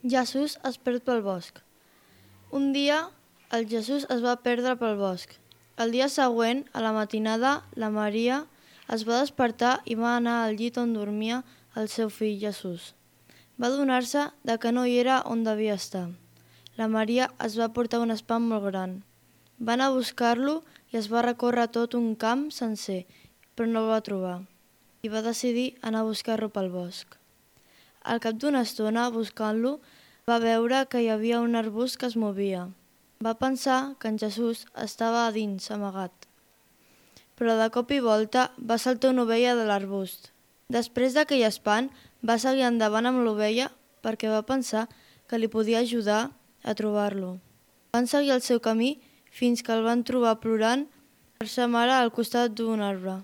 Jesús es perd pel bosc. Un dia, el Jesús es va perdre pel bosc. El dia següent, a la matinada, la Maria es va despertar i va anar al llit on dormia el seu fill Jesús. Va adonar-se de que no hi era on devia estar. La Maria es va portar un espant molt gran. Va anar a buscar-lo i es va recórrer tot un camp sencer, però no el va trobar. I va decidir anar a buscar-lo pel bosc. Al cap d'una estona, buscant-lo, va veure que hi havia un arbust que es movia. Va pensar que en Jesús estava a dins, amagat. Però de cop i volta va saltar una ovella de l'arbust. Després d'aquell espant, va seguir endavant amb l'ovella perquè va pensar que li podia ajudar a trobar-lo. Van seguir el seu camí fins que el van trobar plorant per sa mare al costat d'un arbre.